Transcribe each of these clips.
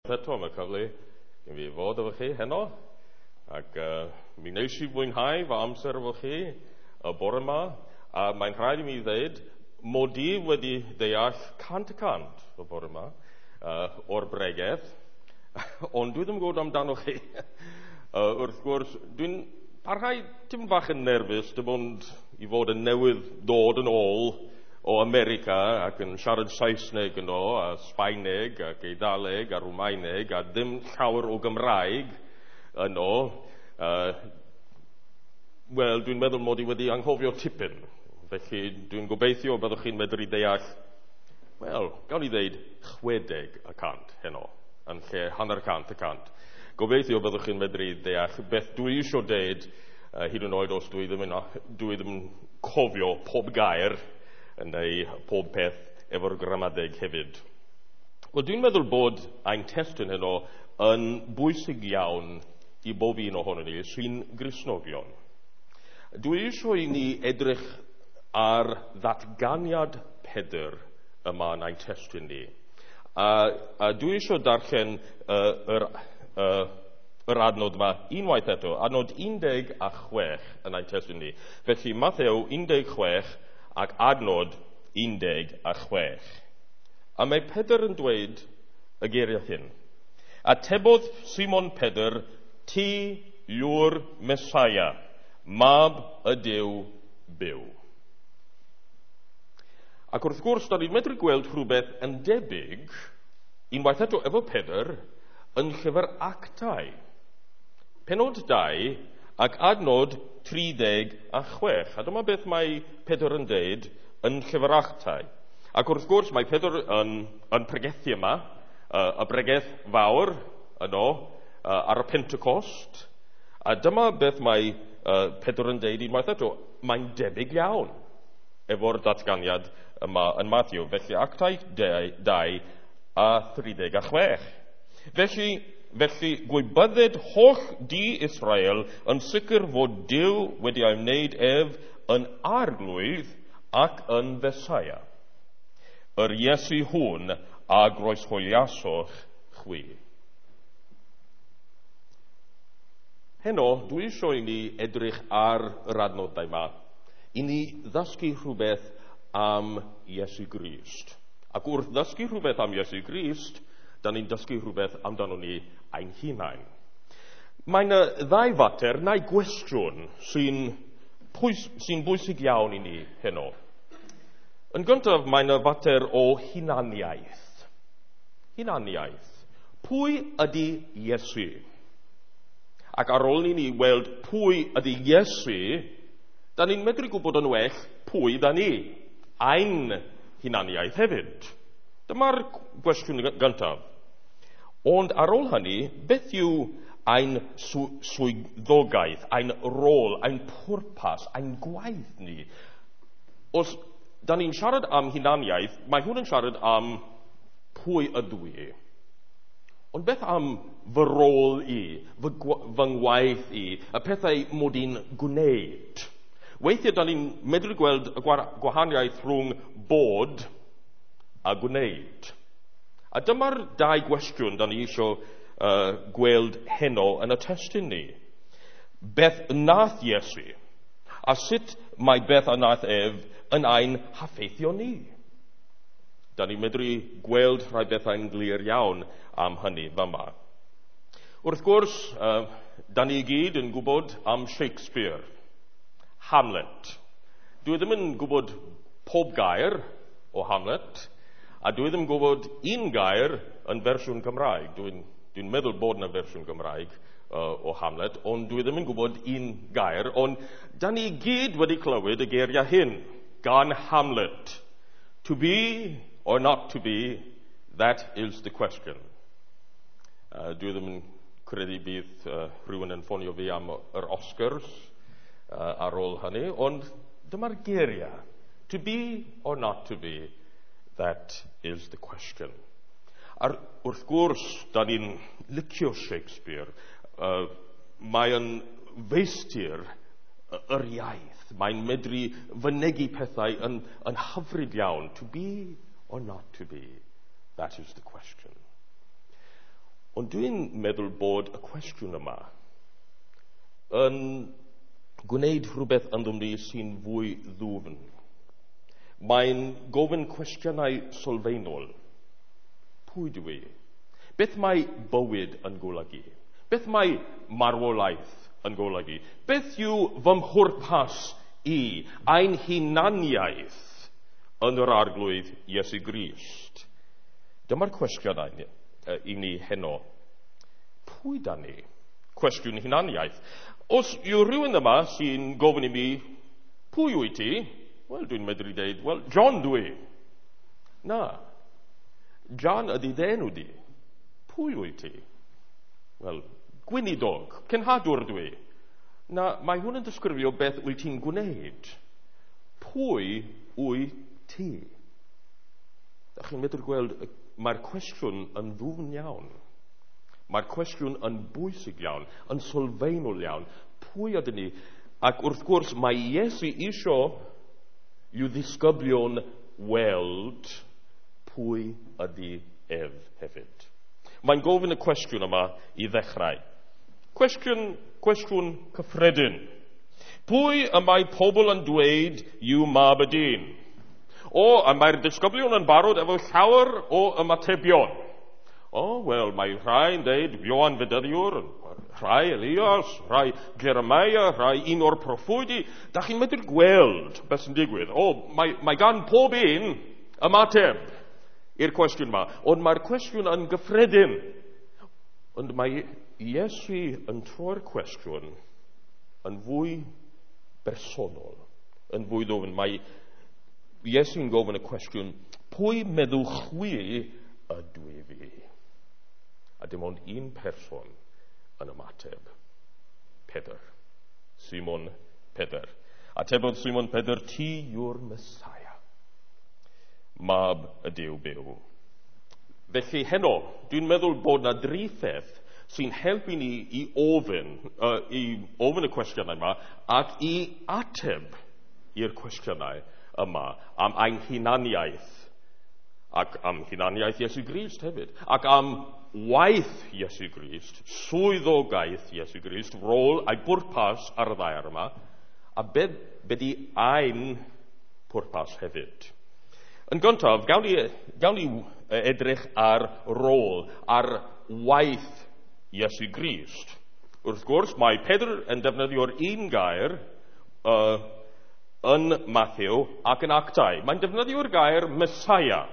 Eto am y cyfle i fi fod efo chi heno. Ac mi wnes i fwynhau fy amser efo chi y bore yma. A mae'n rhaid i mi ddweud, mod i wedi deall 100% y bore yma o'r bregeth, ond dwi ddim yn gwybod amdano chi. Wrth gwrs, dwi'n parhau tipyn bach yn nerfus, dim ond i fod yn newydd dod yn ôl o America ac yn siarad Saesneg yno, a Sbaeneg ac Eidaleg a Rwmaeneg a ddim llawer o Gymraeg yno. Wel, dwi'n meddwl mod i wedi anghofio tipyn. Felly dwi'n gobeithio byddwch chi'n medru deall, wel, gawn ni ddeud 60% heno, yn lle 50%. Gobeithio byddwch chi'n medru deall beth dwi eisiau deud, hyd yn oed os dwi ddim yn cofio pob gair neu pob peth efo'r gramadeg hefyd. Wel, dwi'n meddwl bod ein testun heno yn bwysig iawn i bob un ohonon ni sy'n Gristnogion. Dwi eisiau i ni edrych ar ddatganiad Pedr yma yn ein testun ni. A dwi eisiau darllen yr adnod yma unwaith eto, adnod 16 yn ein testun ni. Felly Mathew 16 ac adnod 16. A mae Pedr yn dweud y geiriau hyn. Atebodd Simon Pedr, ti yw'r Mesaia, mab y Duw byw. Ac wrth gwrs, da ni'n medru gweld rhywbeth yn debyg, unwaith eto efo Pedr, yn llyfr Actau. Penod 2 ac adnod 36. A dyma beth mae Pedr yn deud yn llyfr Actau. Ac wrth gwrs, mae Pedr yn pregethu yma, y bregeth fawr yno, ar y Pentecost. A dyma beth mae Pedr yn deud unwaith eto. Mae'n debyg iawn efo'r datganiad yma yn Matthew. Felly Actau 2 a 36. Felly gwybydded holl di Israel yn sicr fod Duw wedi ei wneud ef yn arglwydd ac yn Fesaia. Yr Iesu hwn a groeshoeliasoch chwi. Heno, dwi eisiau i ni edrych ar yr adnodau yma, i ni ddysgu rhywbeth am Iesu Grist. Ac wrth ddysgu rhywbeth am Iesu Grist, da ni'n dysgu rhywbeth amdano ni ein hunain. Mae yna ddau fater, neu gwestiwn, sy'n bwysig iawn i ni heno. Yn gyntaf, mae yna fater o hunaniaeth. Hunaniaeth. Pwy ydy Iesu? Ac ar ôl i ni weld pwy ydy Iesu, da ni'n medru gwybod yn well pwy da ni, ein hunaniaeth hefyd. Dyma'r gwestiwn gyntaf. Ond ar ôl hynny, beth yw ein swyddogaeth, ein rôl, ein pwrpas, ein gwaith ni? Os da ni'n siarad am hunaniaeth, mae hwn yn siarad am pwy ydw i. Ond beth am fy rôl i, fy ngwaith i, y pethau mod i'n gwneud? Weithiau da ni'n medru gweld y gwahaniaeth rhwng bod a gwneud. A dyma'r dau gwestiwn da ni eisiau gweld heno yn y testun ni. Beth nath Iesu? A sut mae beth a nath ef yn ein haffeithio ni? Da ni'n medru gweld rhai bethau'n glir iawn am hynny fama. Wrth gwrs, da ni gyd yn gwybod am Shakespeare, Hamlet. Dwi ddim yn gwybod pob gair o Hamlet, a dwi ddim yn gwybod un gair yn fersiwn Cymraeg. Dwi'n meddwl bod yna fersiwn Gymraeg o Hamlet, ond dwi ddim yn gwybod un gair. Ond da ni gyd wedi clywed y geiriau hyn gan Hamlet. To be or not to be, that is the question. Dwi ddim yn credu bydd rhywun yn ffonio fi am yr Oscars ar ôl hynny, ond dyma'r geiriau. To be or not to be, that is the question. Ar, wrth gwrs, da ni'n licio Shakespeare. Mae yn feistr yr iaith. Mae'n medru fynegi pethau yn hyfryd iawn. To be or not to be, that is the question. Ond dwi'n meddwl bod y cwestiwn yma yn gwneud rhywbeth ynddom ni sy'n fwy ddwfn. Mae'n gofyn cwestiynau sylfaenol. Pwy dw i? Beth mae bywyd yn golygu? Beth mae marwolaeth yn golygu? Beth yw fy mhwrpas i, ein hunaniaeth yn yr Arglwydd Iesu Grist? Dyma'r cwestiynau i ni heno. Pwy da ni? Cwestiwn hunaniaeth. Os yw rhywun yma sy'n gofyn i mi, pwy wyt ti? Wel, dwi'n medru dweud, wel, John dwi. Na. John ydy dy enw di. Pwy wyt ti? Wel, gweinidog, cenhadwr dwi. Na, mae hwn yn disgrifio beth wyt ti'n gwneud. Pwy wyt ti? Da chi'n medru gweld, mae'r cwestiwn yn ddwfn iawn. Mae'r cwestiwn yn bwysig iawn, yn sylfaenol iawn. Pwy ydyn ni? Ac wrth gwrs, mae Iesu isio i'w ddisgyblion weld pwy ydy ef hefyd. Mae'n gofyn y cwestiwn yma i ddechrau. Cwestiwn cyffredin. Pwy y mae pobl yn dweud yw mab y dyn? O, a mae'r disgyblion yn barod efo llawer o ymatebion. O, wel, mae rhai yn dweud Ioan Fedyddiwr, rhai Elias, rhai Jeremiah, rhai un o'r proffwydi. Da chi'n medru gweld beth sy'n digwydd. O, mae gan pob un ymateb i'r cwestiwn yma. Ond mae'r cwestiwn yn gyffredin. Ond mae Iesu yn troi'r cwestiwn yn fwy bersonol, yn fwy ddwfn. Mae Iesu'n gofyn y cwestiwn, pwy meddwch chwi ydw i fi? A dim ond un person yn ymateb. Pedr. Simon Pedr. Atebodd Simon Pedr, ti yw'r Messiah, mab y Duw byw. Felly heno, dwi'n meddwl bod na dri pheth sy'n helpu ni i ofyn y cwestiynau yma ac i ateb i'r cwestiynau yma am ein hunaniaeth ac am hunaniaeth Iesu Grist hefyd, ac am waith Iesu Grist, swyddogaeth Iesu Grist, rôl a'i bwrpas ar y ddaear yma, a be di ein pwrpas hefyd. Yn gyntaf, gawn ni edrych ar rôl, ar waith Iesu Grist. Wrth gwrs, mae Pedr yn defnyddio'r un gair yn Matthew ac yn Actau. Mae'n defnyddio'r gair Messiah.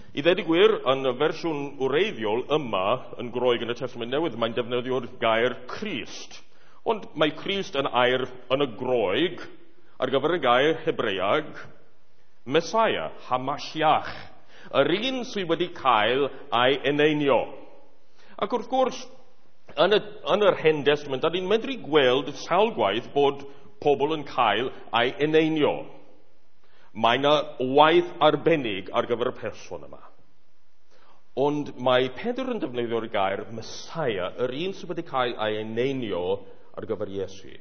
I ddweud y gwir, yn y fersiwn wreiddiol yma yn Groeg yn y Testament Newydd, mae'n defnyddio'r gair Crist. Ond mae Crist yn air yn y Groeg ar gyfer y gair Hebreag Messiah, Hamashiach, yr un sydd wedi cael ei eneinio. Ac wrth gwrs, yn yr Hen Testament, da ni'n medru gweld sawl gwaith bod pobl yn cael ei eneinio. Mae yna waith arbennig ar gyfer y person yma. Ond mae Pedr yn defnyddio'r gair Messiah, yr un sydd wedi cael ei eneinio ar gyfer Iesu.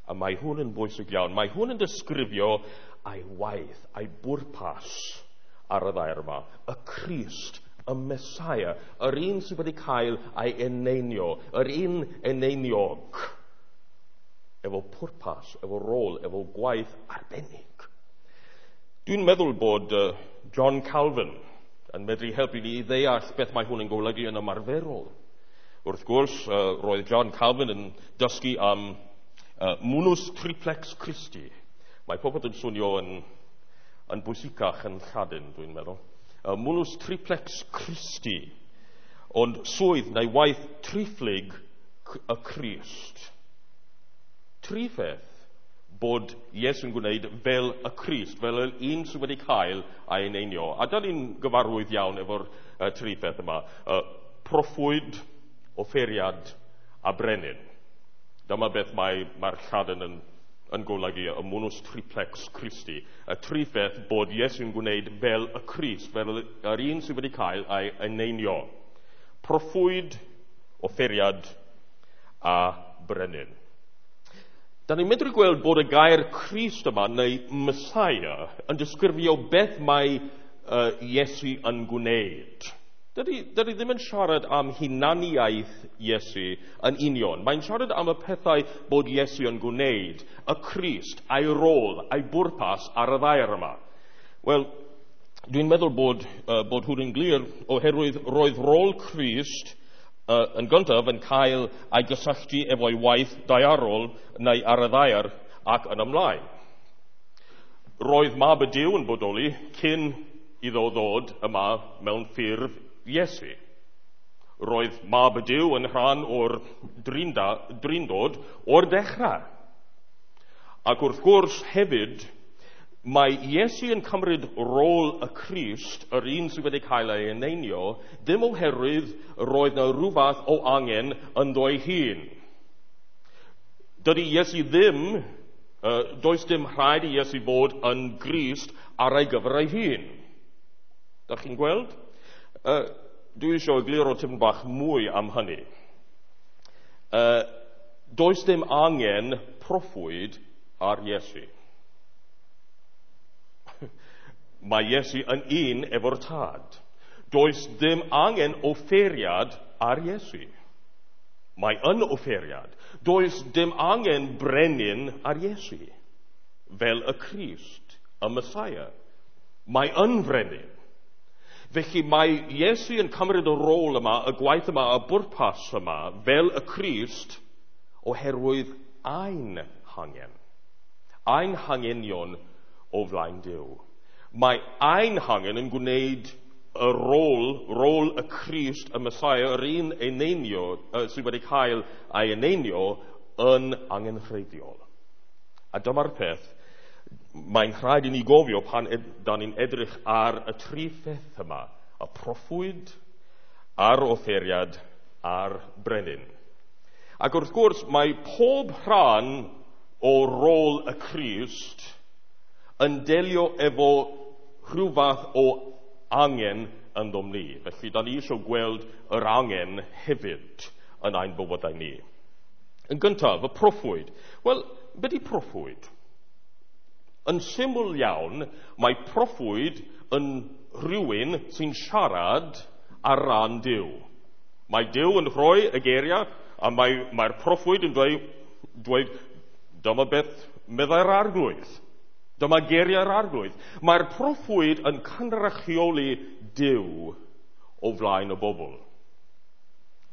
A mae hwn yn bwysig iawn. Mae hwn yn disgrifio ei waith, ei bwrpas ar y ddaear yma. Y Crist, y Messiah, yr un sydd wedi cael ei eneinio, yr un eneiniog, efo pwrpas, efo rôl, efo gwaith arbennig. Dwi'n meddwl bod John Calvin yn medru helpu ni i ddeall beth mae hwn yn golygu yn ymarferol. Wrth gwrs, roedd John Calvin yn dysgu am munus triplex Christi. Mae popeth yn swnio yn bwysicach yn Lladin, dwi'n meddwl. Munus triplex Christi, ond swydd neu waith triphlyg y Crist. Tri pheth bod Iesu'n gwneud fel y Crist, fel yr un sydd wedi cael ei eneinio. A da ni'n gyfarwydd iawn efo'r tri pheth yma. Proffwyd, offeiriad a brenin. Dyma beth mae'r Lladin yn golygu, y munus triplex Christi. Y tri pheth bod Iesu'n gwneud fel y Crist, fel yr un sydd wedi cael ei eneinio. Proffwyd, offeiriad a brenin. Da ni'n medru gweld bod y gair Crist yma, neu Messiah, yn disgrifio beth mae Iesu yn gwneud. Dydy ddim yn siarad am hunaniaeth Iesu yn union. Mae'n siarad am y pethau bod Iesu yn gwneud, y Crist, a'i rôl, a'i bwrpas ar y ddaear yma. Wel, dwi'n meddwl bod hwn yn glir oherwydd roedd rôl Crist yn gyntaf yn cael ei gysylltu efo'i waith daearol neu ar y ddaear ac yn ymlaen. Roedd Mab y Duw yn bodoli cyn iddo ddod yma mewn ffurf Iesu. Roedd Mab y Duw yn rhan o'r drindod o'r dechrau. Ac wrth gwrs hefyd, mae Iesu yn cymryd rôl y Crist, yr un sydd wedi cael ei eneinio, ddim oherwydd roedd yna rhyw fath o angen ynddo ei hun. Dydy Iesu ddim, does dim rhaid i Iesu fod yn Grist ar ei gyfer ei hun. Dach chi'n gweld? Dwi eisiau egluro tipyn bach mwy am hynny. Does dim angen proffwyd ar Iesu. Mae Iesu yn un efo'r Tad. Does dim angen offeiriad ar Iesu. Mae yn offeiriad. Does dim angen brenin ar Iesu, fel y Crist, y Messiah. Mae yn frenin. Felly mae Iesu yn cymryd y rôl yma, y gwaith yma, y bwrpas yma, fel y Crist, oherwydd ein hangen. Ein hangenion o flaen Duw. Mae ein hangen yn gwneud y rôl y Crist, y Messiah, yr un eneinio, sydd wedi cael ei eneinio, yn angenrheidiol. A dyma'r peth, mae'n rhaid i ni gofio pan da ni'n edrych ar y tri pheth yma, y proffwyd, a'r offeiriad, a'r brenin. Ac wrth gwrs, mae pob rhan o rôl y Crist yn delio efo rhyw fath o angen ynddom ni. Felly, da ni eisiau gweld yr angen hefyd yn ein bywydau ni. Yn gyntaf, y proffwyd. Wel, beth yw proffwyd? Yn syml iawn, mae proffwyd yn rhywun sy'n siarad ar ran Duw. Mae Duw yn rhoi y geiriau, a mae'r proffwyd yn dweud, dyma beth meddai'r Arglwydd. Dyma geiriau'r Arglwydd. Mae'r proffwyd yn cynrychioli Duw o flaen y bobl.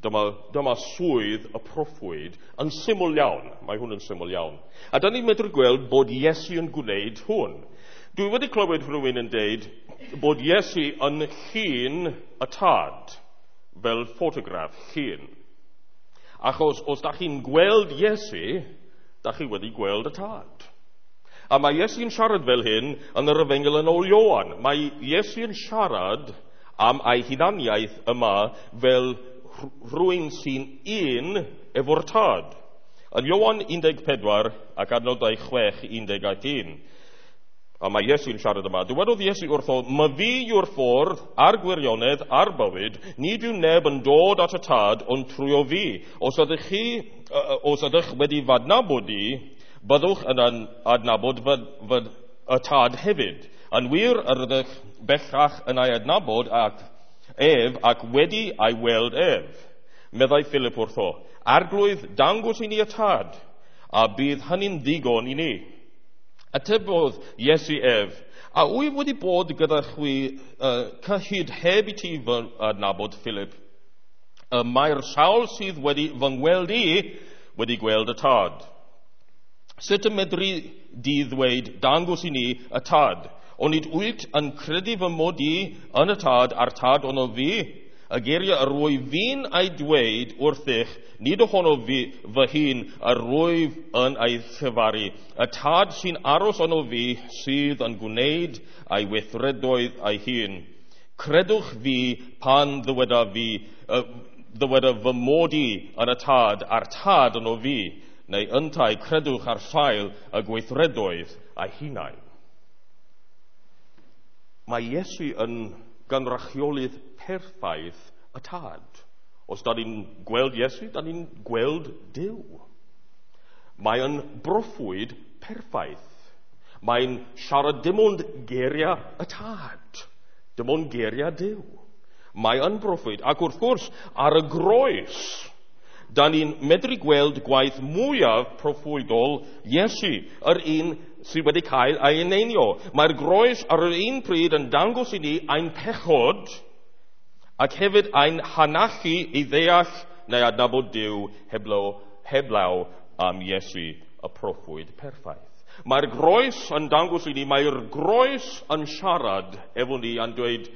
Dyma swydd y proffwyd yn syml iawn. Mae hwn yn syml iawn. A da ni'n medru gweld bod Iesu yn gwneud hwn. Dwi wedi clywed rhywun yn deud bod Iesu yn llun y Tad, fel ffotograff llun. Achos os da chi'n gweld Iesu, da chi wedi gweld y Tad. A mae Iesu'n siarad fel hyn yn yr Efengyl yn ôl Ioan. Mae Iesu'n siarad am ei hunaniaeth yma fel rhywun sy'n un efo'r Tad. Yn Ioan 14 ac adnodau 6 11. A mae Iesu'n siarad yma. Dywedodd Iesu wrtho, "Ma fi yw'r ffordd a'r gwirionedd a'r bywyd, nid yw neb yn dod at y Tad ond trwy o fi. Os ydych wedi f'adnabod i, byddwch yn adnabod y Tad hefyd. Yn wir yr ydych bellach yn ei adnabod ac ef ac wedi ei weld ef." Meddai Philip wrtho, "Arglwydd, dangos i ni y Tad, a bydd hynny'n ddigon i ni." Atebodd Iesu ef, "A wyf wedi bod gyda chwi cyhyd heb i ti fy adnabod, Philip? Mae'r sawl sydd wedi fy ngweld i wedi gweld y Tad. Sut y medru di ddweud, dangos i ni y Tad? Onid wyt yn credu fy mod i yn y Tad a'r Tad ono fi? Y geiriau yr wyf fi'n ei dweud wrthych, nid ohono fi fy hun yr wyf yn ei llefaru. Y Tad sy'n aros ono fi sydd yn gwneud ei weithredoedd ei hun. Credwch fi pan ddyweda fy mod i yn y Tad a'r Tad ono fi, neu yntau credwch ar sail y gweithredoedd ei hunain." Mae Iesu yn gynrychiolydd perffaith y Tad. Os da ni'n gweld Iesu, da ni'n gweld Duw. Mae yn broffwyd perffaith. Mae'n siarad dim ond geiriau y Tad, dim ond geiriau Duw. Mae yn broffwyd, ac wrth gwrs, ar y groes, da ni'n medru gweld gwaith mwyaf proffwydol Iesu, yr un sydd wedi cael ei eneinio. Mae'r groes ar yr un pryd yn dangos i ni ein pechod ac hefyd ein hanallu i ddeall neu adnabod Duw heblaw am Iesu, y proffwyd perffaith. Mae'r groes yn dangos i ni, mae'r groes yn siarad efo ni a'n dweud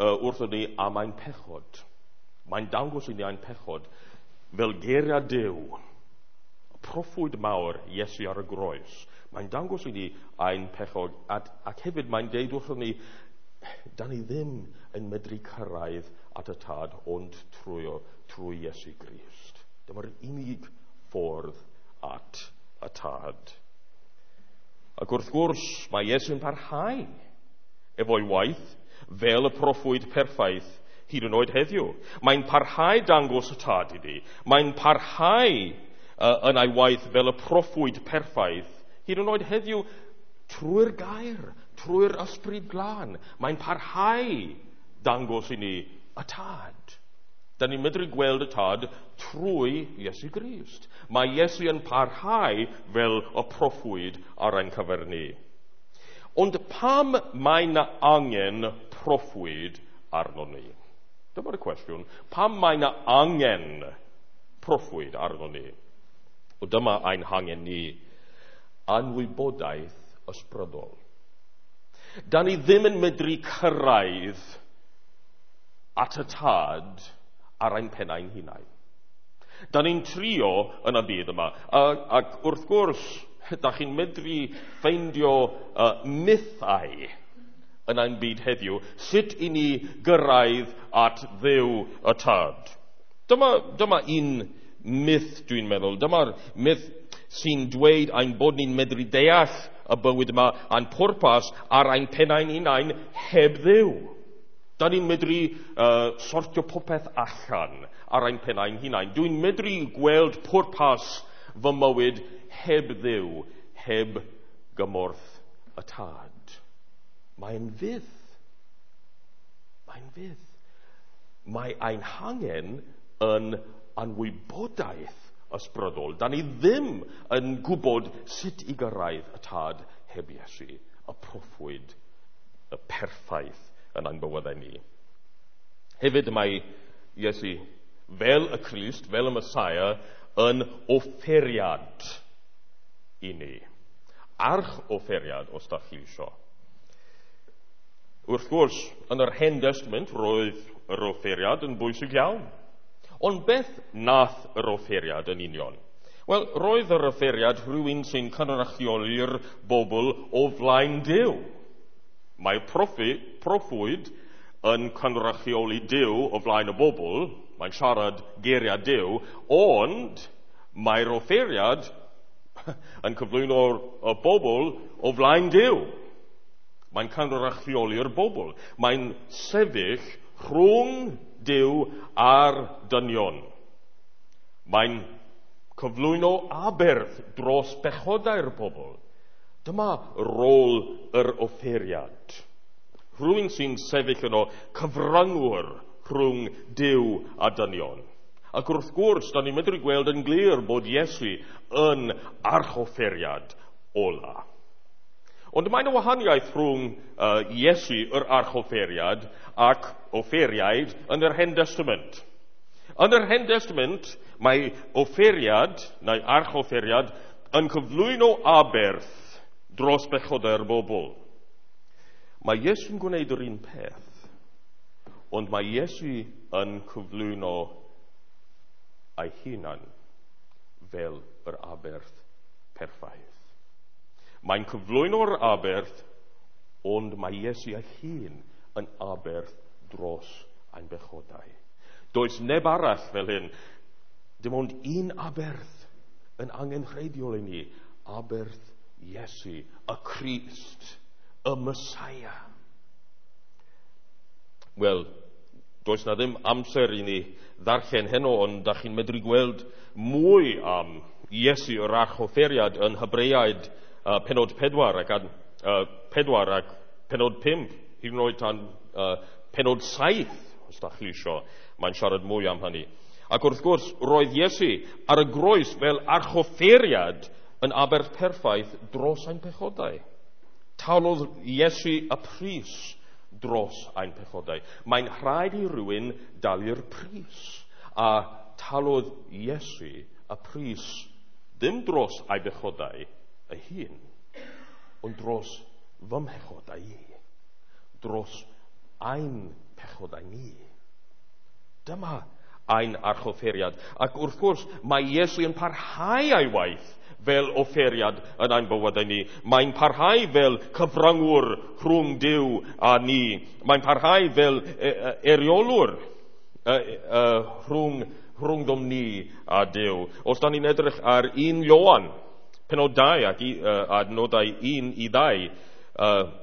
wrthon ni am ein pechod. Mae'n dangos i ni ein pechod fel geiriau Duw, y proffwyd mawr Iesu ar y groes. Mae'n dangos i ni ein pechod ac hefyd mae'n deud wrthon ni, da ni ddim yn medru cyrraedd at y Tad ond trwy Iesu Grist. Dyma'r unig ffordd at y Tad. Ac wrth gwrs, mae Iesu'n parhau efo'i waith fel y proffwyd perffaith hyd yn oed heddiw. Mae'n parhau dangos y Tad i ni. Mae'n parhau yn ei waith fel y proffwyd perffaith hyd yn oed heddiw trwy'r gair, trwy'r Ysbryd Glân. Mae'n parhau dangos i ni y Tad. Da ni'n medru gweld y Tad trwy Iesu Grist. Mae Iesu yn parhau fel y proffwyd ar ein cyfer ni. Ond pam mae na angen proffwyd arno ni? Dyma'r cwestiwn. Pam mae na angen proffwyd arno ni? O, dyma ein hangen ni. Anwybodaeth ysbrydol. Da ni ddim yn medru cyrraedd at y Tad ar ein pennau'n hunain. Da ni'n trio yn y byd yma. Ac wrth gwrs, da chi'n medru ffeindio mythau yn ein byd heddiw, sut i ni gyrraedd at Dduw y Tad. Dyma un myth, dwi'n meddwl. Dyma'r myth sy'n dweud ein bod ni'n medru deall y bywyd yma a'n pwrpas ar ein pennau'n hunain heb Dduw. Da ni'n medru sortio popeth allan ar ein pennau'n hunain. Dwi'n medru gweld pwrpas fy mywyd heb Dduw, heb gymorth y Tad. Mae'n fydd. Mae'n fydd. Mae ein hangen yn anwybodaeth ysbrydol. Da ni ddim yn gwybod sut i gyrraedd y Tad heb Iesu, y proffwyd, y perffaith yn ein bywydau ni. Hefyd mae Iesu, fel y Crist, fel y Messiah, yn offeriad i ni. Arch offeriad, os da chi isio. Wrth gwrs, yn yr Hen Testament, roedd yr offeriad yn bwysig iawn. Ond beth nath yr offeriad yn union? Wel, roedd yr offeriad rhywun sy'n cynrychioli'r bobl o flaen Duw. Mae proffwyd yn cynrychioli Duw o flaen y bobl, mae'n siarad geiriau Duw, ond mae'r offeriad yn cyflwyno'r bobl o flaen Duw. Mae'n cynrychioli'r bobl. Mae'n sefyll rhwng Duw a'r dynion. Mae'n cyflwyno aberth dros bechodau'r bobl. Dyma rôl yr offeriad. Rhywun sy'n sefyll yno, cyfryngwr rhwng Duw a dynion. Ac wrth gwrs, da ni'n medru gweld yn glir bod Iesu yn archofferiad ola. Ond mae yna wahaniaeth rhwng Iesu, yr archofferiad, ac offeriaid yn yr Hen Testament. Yn yr Hen Testament, mae offeriad, neu archofferiad, yn cyflwyno aberth dros bechodau'r bobl. Mae Iesu'n gwneud yr un peth, ond mae Iesu yn cyflwyno ei hunan fel yr aberth perffaith. Mae'n cyflwyno'r aberth, ond mae Iesu ei hun yn aberth dros ein bechodau. Does neb arall fel hyn. Dim ond un aberth yn angenrheidiol i ni. Aberth Iesu, y Crist, y Messiah. Wel, does na ddim amser i ni ddarllen heno, ond da chi'n medru gweld mwy am Iesu yr archofferiad yn Hebreaid penod 4 ac 4 ac penod 5, hyd yn oed tan penod 7, os da chi isio. Mae'n siarad mwy am hynny. Ac wrth gwrs, roedd Iesu ar y groes fel archoffeiriad yn aberth perffaith dros ein pechodau. Talodd Iesu y pris dros ein pechodau. Mae'n rhaid i rywun dalu'r pris. A talodd Iesu y pris ddim dros ei bechodau ei hun, ond dros fy mhechodau i. Dros ein pechodau ni. Dyma ein archoffeiriad. Ac wrth gwrs, mae Iesu yn parhau ei waith fel offeiriad yn ein bywydau ni. Mae'n parhau fel cyfryngwr rhwng Duw a ni. Mae'n parhau fel eiriolwr rhwngddom ni a Duw. Os da ni'n edrych ar 1 Ioan, penod 2 ac adnodau 1 i 2,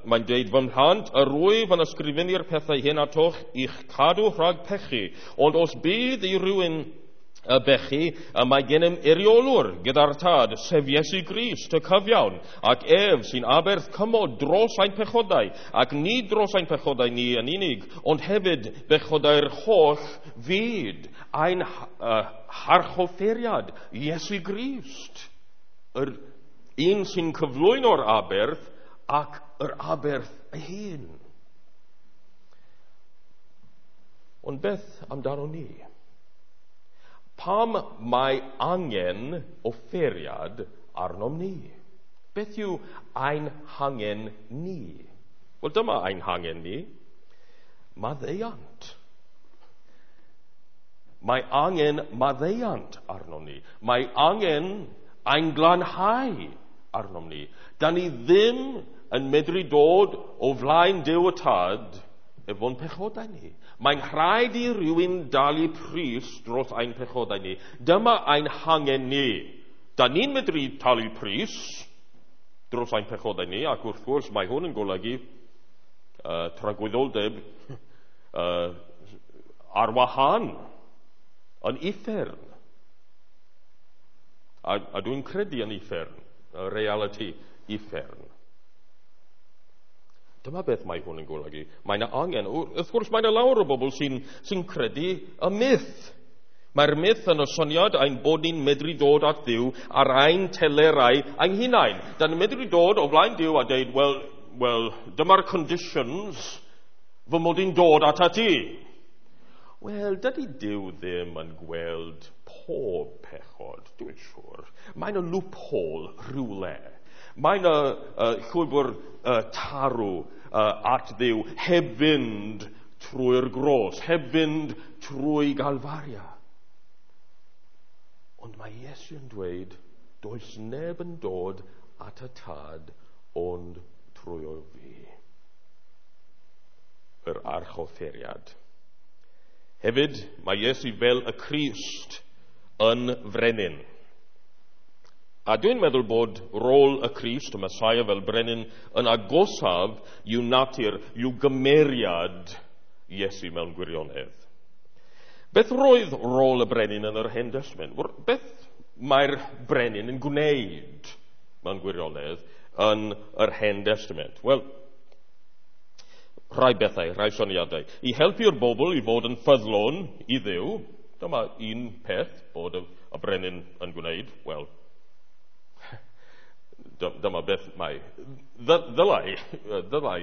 mae'n dweud, fy mhlant, yr wyf yn ysgrifennu'r pethau hyn atoch i'ch cadw rhag pechu, ond os bydd i rywun y bechu, mae gennym eiriolwr gyda'r Tad, sef Iesu Grist, y cyfiawn, ac ef sy'n aberth cymod dros ein pechodau, ac nid dros ein pechodau ni yn unig, ond hefyd bechodau'r holl fyd, ein harchoffeiriad, Iesu Grist, yr un sy'n cyflwyno'r aberth ac yr aberth ei hun. Ond beth amdano ni? Pam mae angen offeiriad arnom ni? Beth yw ein hangen ni? Wel, dyma ein hangen ni. Maddeuant. Mae angen maddeuant arnom ni. Mae angen ein glanhau arnom ni. Da ni ddim yn medru dod o flaen Duw y Tad efo'n pechodau ni. Mae'n rhaid i rywun dalu pris dros ein pechodau ni. Dyma ein hangen ni. Da ni'n medru talu pris dros ein pechodau ni, ac wrth gwrs mae hwn yn golygu tragwyddoldeb ar wahân yn uffern. A dwi'n credu yn uffern, y reality uffern. Dyma beth mae hwn yn golygu. Mae yna angen. Wrth gwrs, mae yna lawer o bobl sy'n credu y myth. Mae'r myth yn y syniad ein bod ni'n medru dod at Dduw ar ein telerau ein hunain. Da ni'n medru dod o flaen Duw a dweud, well, dyma'r conditions fy mod i'n dod atat ti. Wel, dydy Duw ddim yn gweld pob pechod, dwi'n siŵr. Mae yna loophole rhywle. Mae yna llwybr tarw at Dduw heb fynd trwy'r gros, heb fynd trwy Galfaria. Ond mae Iesu yn dweud, does neb yn dod at y Tad ond trwy o fi. Yr archoffeiriad. Hefyd, mae Iesu fel y Crist yn frenin. A dwi'n meddwl bod rôl y Crist, y Messiah fel brenin, yn agosaf i'w natur, i'w gymeriad Iesu mewn gwirionedd. Beth roedd rôl y brenin yn yr Hen Destament? Beth mae'r brenin yn gwneud mewn gwirionedd yn yr Hen Destament? Wel, rhai bethau, rhai syniadau. I helpu'r bobl i fod yn ffyddlon i Dduw, dyma un peth bod y brenin yn gwneud. Wel, dyma beth mae ddylai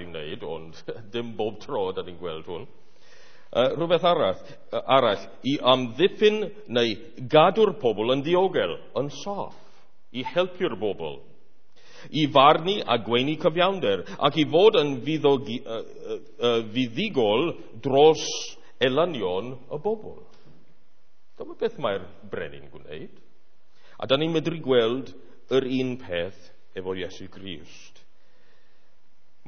wneud, ond dim bob tro da ni'n gweld hwn. Rhywbeth arall, i amddiffyn neu gadw'r pobl yn ddiogel, yn saff, i helpu'r bobl, i farnu a gweini cyfiawnder, ac i fod yn fuddugol dros elynion y bobl. Dyma beth mae'r brenin gwneud. A da ni'n medru gweld yr un peth efo Iesu Grist.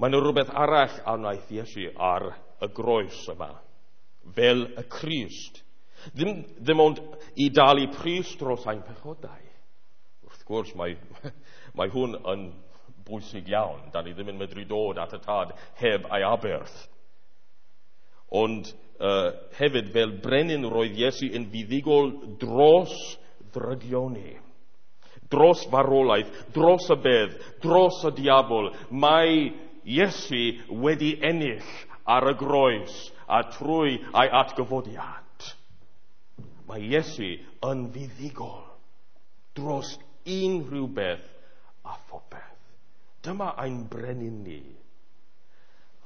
Mae yna rhywbeth arall a wnaeth Iesu ar y groes yma, fel y Crist. Ddim ond i dalu pris dros ein pechodau. Wrth gwrs, mae hwn yn bwysig iawn. Da ni ddim yn medru dod at y Tad heb ei aberth. Ond hefyd, fel brenin roedd Iesu yn fuddugol dros ddrygioni, dros farwolaeth, dros y bedd, dros y diafol. Mae Iesu wedi ennill ar y groes a trwy ei atgyfodiad. Mae Iesu yn fuddugol dros unrhyw beth a phopeth. Dyma ein brenin ni.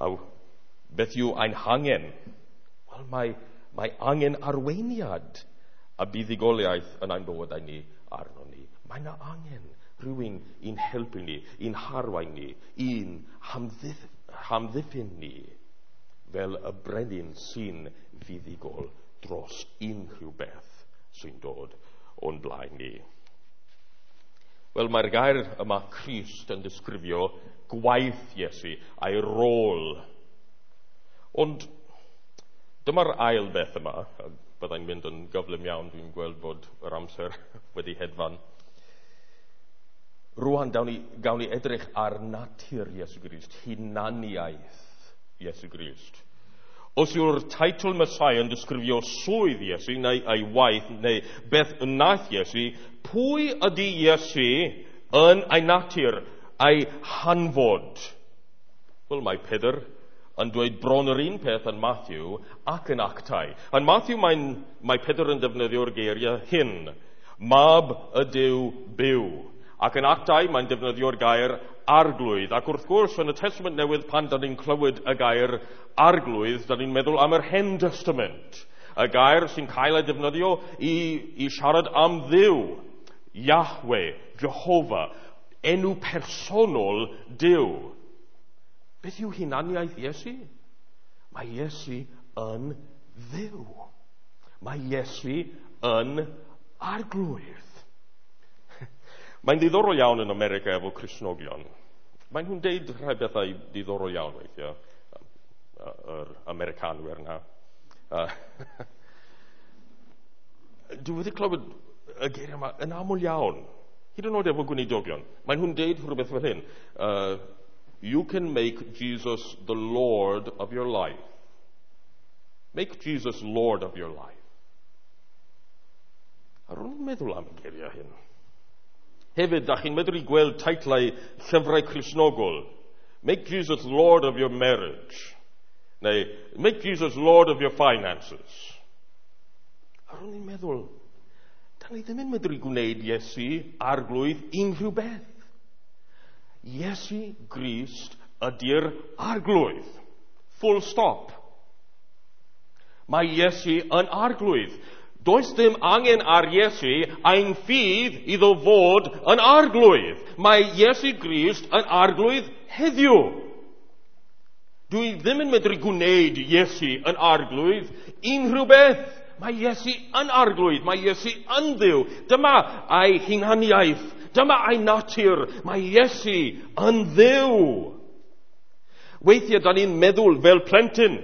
A beth yw ein hangen? Wel, mae angen arweiniad a buddugoliaeth yn ein bywydau ni arno ni. Mae yna angen rhywun i'n helpu ni, i'n harwain ni, i'n hamddiffyn ni fel y brenin sy'n fuddugol dros unrhyw beth sy'n dod o'n blaen ni. Wel, mae'r gair yma Crist yn disgrifio gwaith Iesu a'i rôl. Ond dyma'r ail beth yma, a byddai'n mynd yn gyflym iawn, dwi'n gweld bod yr amser wedi hedfan. Rwan, gawn ni edrych ar natur Iesu Grist, hunaniaeth Iesu Grist. Os yw'r teitl Messiah yn disgrifio swydd Iesu, neu ei waith, neu beth wnaeth Iesu, pwy ydy Iesu yn ei natur, ei hanfod? Wel, mae Pedr yn dweud bron yr un peth yn Matthew ac yn Actau. Yn Matthew mae Pedr yn defnyddio'r geiriau hyn, Mab y Duw byw. Ac yn Actau mae'n defnyddio'r gair arglwydd. Ac wrth gwrs, yn y Testament Newydd, pan da ni'n clywed y gair arglwydd, da ni'n meddwl am yr Hen Testament. Y gair sy'n cael ei defnyddio i siarad am Dduw, Yahweh, Jehovah, enw personol Duw. Beth yw hunaniaeth Iesu? Mae Iesu yn Dduw. Mae Iesu yn arglwydd. Mae'n ddiddorol iawn yn America efo Cristnogion. Maen nhw'n deud rhai bethau diddorol iawn weithiau, yr Americanwyr yna. Dwi wedi clywed y geiriau yma yn aml iawn, hyd yn oed efo gweinidogion. Maen nhw'n deud rhywbeth fel hyn. You can make Jesus the Lord of your life. Make Jesus Lord of your life. A rwy'n meddwl am y geiriau hyn. Hefyd, da chi'n medru gweld teitlau llyfrau Cristnogol. Make Jesus Lord of your marriage. Neu, make Jesus Lord of your finances. A rwy'n meddwl, da ni ddim yn medru gwneud Iesu arglwydd unrhyw beth. Iesu Grist ydy'r arglwydd. Full stop. Mae Iesu yn arglwydd. Does dim angen ar Iesu ein ffydd iddo fod yn arglwydd. Mae Iesu Grist yn arglwydd heddiw. Dwi ddim yn medru gwneud Iesu yn arglwydd unrhyw beth. Mae Iesu yn arglwydd. Mae Iesu yn Dduw. Dyma ei hunaniaeth. Dyma ei natur. Mae Iesu yn Dduw. Weithiau da ni'n meddwl fel plentyn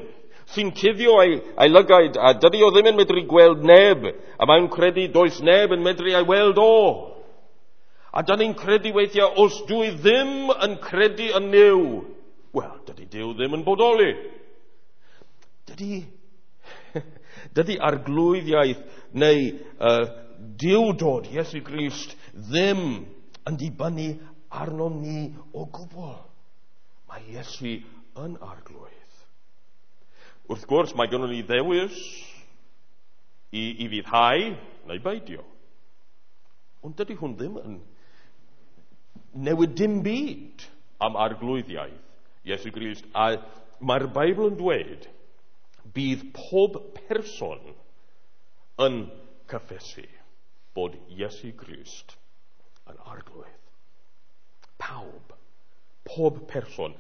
sy'n cuddio ei lygaid, a dydy o ddim yn medru gweld neb, a mae'n credu does neb yn medru ei weld o. A da ni'n credu weithiau, os dwi ddim yn credu yn Nuw, wel, dydy Duw ddim yn bodoli. Dydy arglwyddiaeth neu Duwdod Iesu Grist ddim yn dibynnu arnom ni o gwbl. Mae Iesu yn arglwydd. Wrth gwrs, mae gynnon ni ddewis i fuddhau neu beidio. Ond dydy hwn ddim yn newid dim byd am arglwyddiaeth Iesu Grist. A mae'r Beibl yn dweud bydd pob person yn cyffesu bod Iesu Grist yn arglwydd. Pawb. Pob person.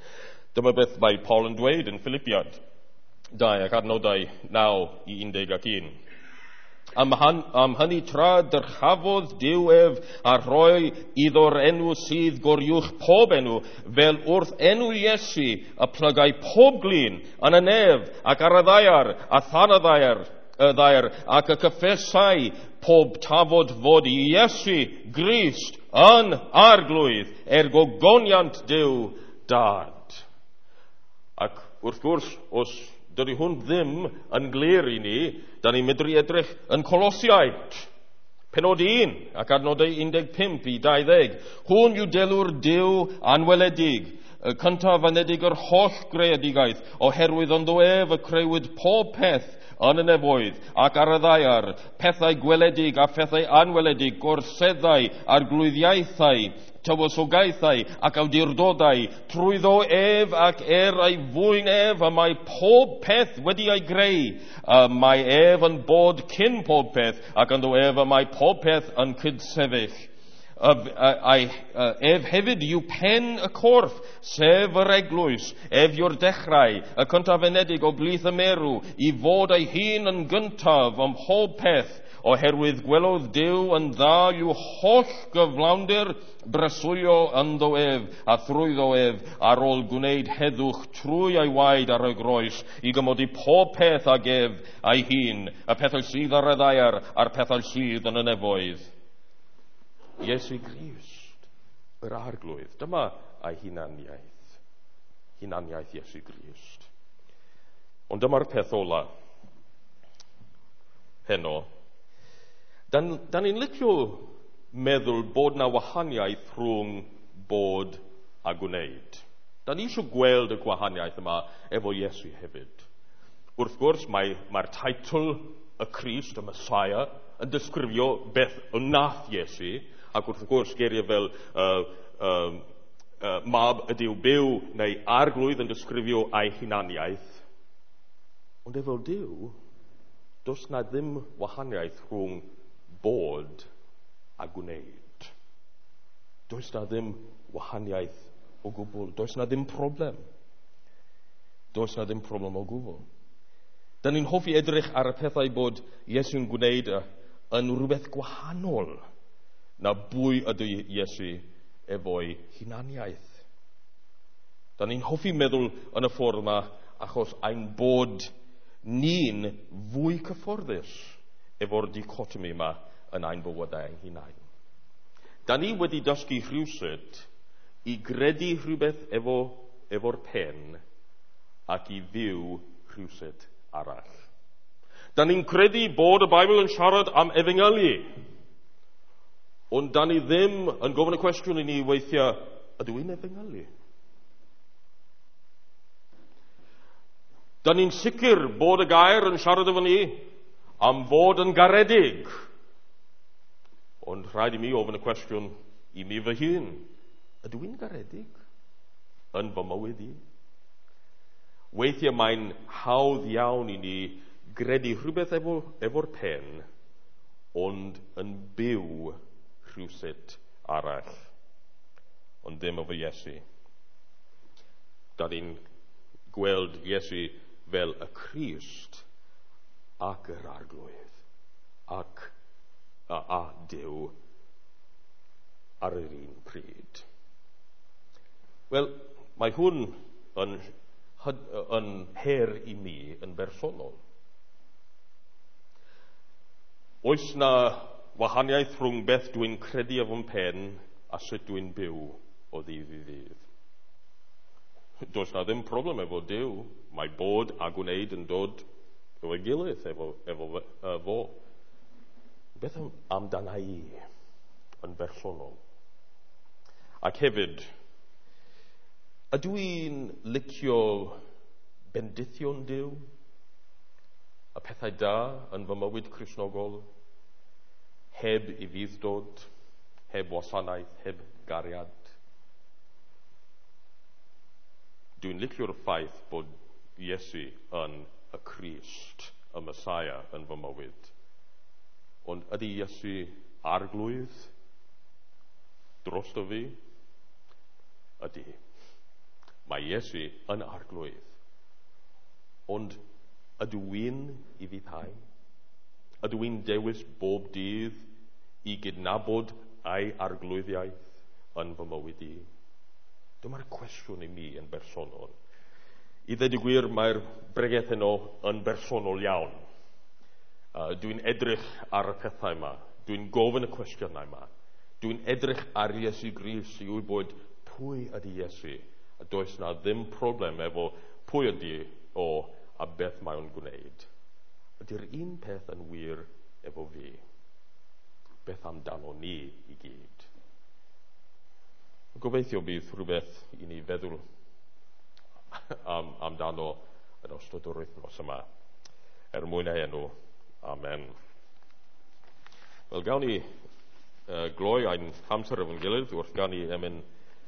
Dyma beth mae Paul yn dweud yn Philippiad 2 ac adnodau 9 i 11. Am hynny tra dyrchafodd Duw ef a rhoi iddo'r enw sydd goruwch pob enw, fel wrth enw Iesu y plygai pob glin yn y nef ac ar y ddaear a than y ddaear, ac y cyffesai pob tafod fod Iesu Grist yn arglwydd er gogoniant Duw Dad. Ac wrth gwrs, os dydy hwn ddim yn glir i ni, da ni'n medru edrych yn Colosiaid, penod 1 ac adnodau 15 i 20. Hwn yw delw'r Duw anweledig, y cyntaf anedig yr holl greadigaeth, oherwydd ynddo ef y creuwyd pob peth yn y nefoedd ac ar y ddaear, pethau gweledig a phethau anweledig, gorseddau, arglwyddiaethau, tywysogaethau ac awdurdodau, trwyddo ef ac ei fwyn ef, y mae pob peth wedi ei greu. Y mae ef yn bod cyn pob peth, ac ynddo ef y mae pob peth yn cydsefyll. Ef hefyd yw pen y corff, sef yr eglwys, ef yw'r dechrau, y cyntaf enedig o blith y merw, i fod ei hun yn gyntaf ym mhob peth, oherwydd gwelodd Duw yn dda i'w holl gyflawnder breswylio ynddo ef, a thrwyddo ef, ar ôl gwneud heddwch trwy ei waed ar y groes, i gymodi pob peth ag ef ei hun, y pethau sydd ar y ddaear a'r pethau sydd yn y nefoedd. Iesu Grist, yr Arglwydd. Dyma ei hunaniaeth. Hunaniaeth Iesu Grist. Ond dyma'r peth ola heno. Dan ni'n licio meddwl bod na wahaniaeth rhwng bod a gwneud. Da ni eisiau gweld y gwahaniaeth yma efo Iesu hefyd. Wrth gwrs, mae'r teitl y Crist, y Messiah, yn disgrifio beth wnaeth Iesu, ac wrth gwrs geiriau fel mab y Duw byw neu arglwydd yn disgrifio ei hunaniaeth. Ond efo Duw, does na ddim wahaniaeth rhwng bod a gwneud. Does na ddim wahaniaeth o gwbl. Does na ddim problem. Does na ddim problem o gwbl. Da ni'n hoffi edrych ar y pethau bod Iesu'n gwneud yn rhywbeth gwahanol na bwy ydy Iesu efo'i hunaniaeth. Da ni'n hoffi meddwl yn y ffordd yma achos ein bod ni'n fwy cyfforddus efo'r dichotomi yma yn ein bywydau ein hunain. Da ni wedi dysgu rhywsut i gredu rhywbeth efo'r pen ac i fyw rhywsut arall. Da ni'n credu bod y Beibl yn siarad am efengylu, ond da ni ddim yn gofyn y cwestiwn i ni weithiau, ydw i'n efengylu? Da ni'n sicr bod y gair yn siarad efo ni am fod yn garedig, ond rhaid i mi ofyn y cwestiwn i mi fy hun, ydw i'n garedig yn fy mywyd i? Weithiau mae'n hawdd iawn i ni gredu rhywbeth efo'r pen, ond yn byw rhywsut arall, ond ddim efo Iesu. Da ni'n gweld Iesu fel y Crist ac yr Arglwydd ac a Duw ar yr un pryd. Wel, mae hwn yn her i mi yn bersonol. Oes na wahaniaeth rhwng beth dwi'n credu efo'n pen a sut dwi'n byw o ddydd i ddydd? Does na ddim problem efo Duw. Mae bod a gwneud yn dod efo'i gilydd, efo fo. Beth amdana i yn bersonol? Ac hefyd, ydw i'n licio bendithion Duw? Y pethau da yn fy mywyd Cristnogol, heb ufudd-dod, heb wasanaeth, heb gariad. Dwi'n licio'r ffaith bod Iesu yn y Crist, y Messiah yn fy mywyd. Ond ydy Iesu arglwydd drosto fi? Ydy. Mae Iesu yn arglwydd. Ond ydw i'n ufuddhau? Ydw i'n dewis bob dydd i gydnabod ei arglwyddiaeth yn fy mywyd i? Dyma'r cwestiwn i mi yn bersonol. I ddweud y gwir, mae'r bregeth heno yn bersonol iawn. Dwi'n edrych ar y pethau yma. Dwi'n gofyn y cwestiynau yma. Dwi'n edrych ar Iesu Grist i wybod pwy ydy Iesu. A does na ddim problem efo pwy ydy o a beth mae o'n gwneud. Ydy'r un peth yn wir efo fi? Beth amdano ni i gyd? Gobeithio bydd rhywbeth i ni feddwl amdano yn ystod yr wythnos yma. Er mwyn ei enw, amen. Wel, gawn ni gloi ein hamser efo'n gilydd wrth ganu emyn